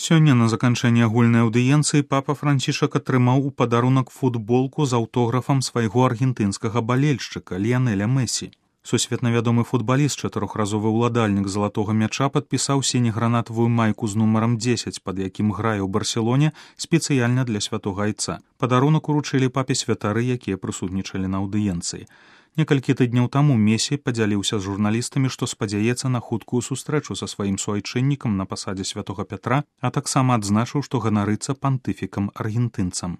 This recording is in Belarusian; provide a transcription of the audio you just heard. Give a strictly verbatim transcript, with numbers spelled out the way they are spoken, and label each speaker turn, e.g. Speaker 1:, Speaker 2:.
Speaker 1: Сёння на заканчэнні агульнай аўдыенцыі папа Францішак атрымаў у падарунак футболку з аўтографам свайго аргентынскага балельшчыка Ліянеля Месі. Сусветна вядомы футбаліст, чатырохразовы ўладальнік залатога мяча, падпісаў сіне-гранатавую майку з нумарам дзесяць, пад якім грае ў Барселоне спецыяльна для святога айца. Падарунак уручылі папе святары, якія прысутнічалі на аўдыенцыі. Некалькі тыдняў таму Месі падзяліўся з журналістамі, што спадзяецца на хуткую сустрэчу са сваім суайчыннікам на пасадзе святога Пятра, а таксама адзначыў, што ганарыцца пантыфікам аргентынцам.